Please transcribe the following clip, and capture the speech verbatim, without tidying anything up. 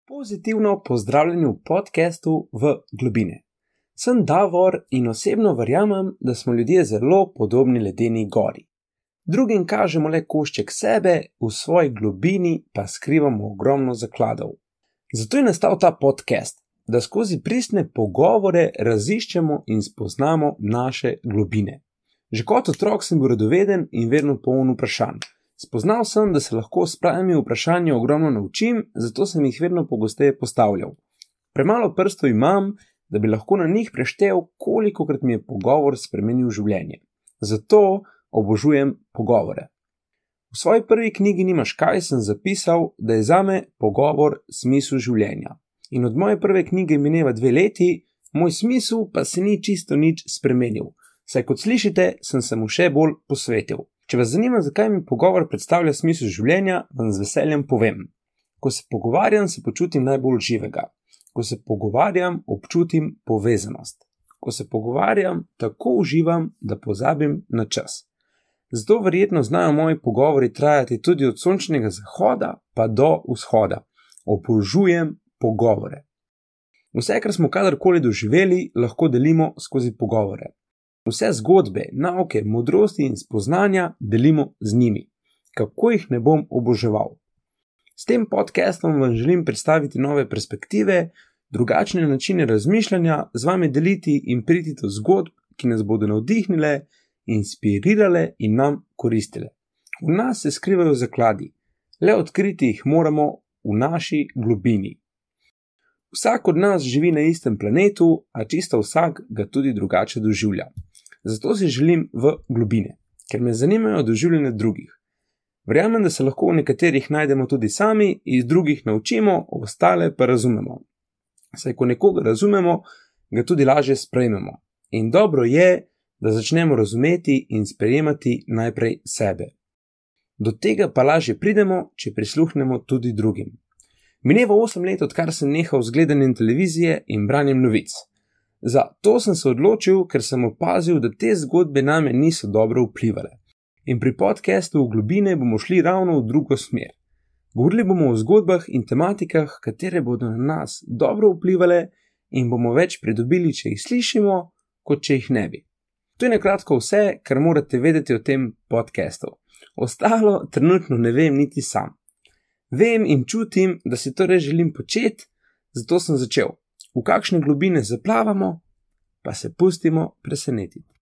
Pozitivno pozdravljeni v podcastu V globine. Sem Davor in osebno verjamem, da smo ljudje zelo podobni ledeni gori. Drugim kažemo le košček sebe, v svoji globini pa skrivamo ogromno zakladov. Zato je nastal ta podcast, da skozi pristne pogovore raziščemo in spoznamo naše globine. Že kot otrok sem bil radoveden in vedno poln vprašanj. Spoznal sem, da se lahko s pravimi vprašanji ogromno naučim, zato sem jih vedno pogosteje postavljal. Premalo prstov imam, da bi lahko na njih preštel, kolikokrat mi je pogovor spremenil življenje. Zato obožujem pogovore. V svoji prvi knjigi Nimaš kaj sem zapisal, da je zame pogovor smisel življenja. In od moje prve knjige mineva dve leti, moj smisel pa se ni čisto nič spremenil. Saj kot slišite, sem se mu še bolj posvetil. Če vas zanima, zakaj mi pogovor predstavlja smisel življenja, vam z veseljem povem. Ko se pogovarjam, se počutim najbolj živega. Ko se pogovarjam, občutim povezanost. Ko se pogovarjam, tako uživam, da pozabim na čas. Zato verjetno znajo moji pogovori trajati tudi od sončnega zahoda pa do vzhoda. Obožujem pogovore. Vse, kar smo kadarkoli doživeli, lahko delimo skozi pogovore. Vse zgodbe, nauke, modrosti in spoznanja delimo z njimi. Kako jih ne bom oboževal? S tem podcastom vam želim predstaviti nove perspektive, drugačne načine razmišljanja, z vami deliti in priti do zgodb, ki nas bodo navdihnile, inspirirale in nam koristile. V nas se skrivajo zakladi, le odkriti jih moramo v naši globini. Vsak od nas živi na istem planetu, a čisto vsak ga tudi drugače doživlja. Zato si želim v globine, ker me zanimajo doživljanja drugih. Verjamem, da se lahko v nekaterih najdemo tudi sami, iz drugih naučimo, ostale pa razumemo. Saj ko nekoga razumemo, ga tudi lažje sprejmemo. In dobro je, da začnemo razumeti in sprejemati najprej sebe. Do tega pa lažje pridemo, če prisluhnemo tudi drugim. Mineva osem let, odkar sem nehal z gledanjem televizije in branjem novic. Za to sem se odločil, ker sem opazil, da te zgodbe name niso dobro vplivale. In pri podcastu V globine bomo šli ravno v drugo smer. Govorili bomo o zgodbah in tematikah, katere bodo na nas dobro vplivale in bomo več pridobili, če jih slišimo, kot če jih ne bi. To je nakratko vse, kar morate vedeti o tem podcastu. Ostalo trenutno ne vem niti sam. Vem in čutim, da si to res želim početi, zato sem začel. V kakšne globine zaplavamo, pa se pustimo presenetiti.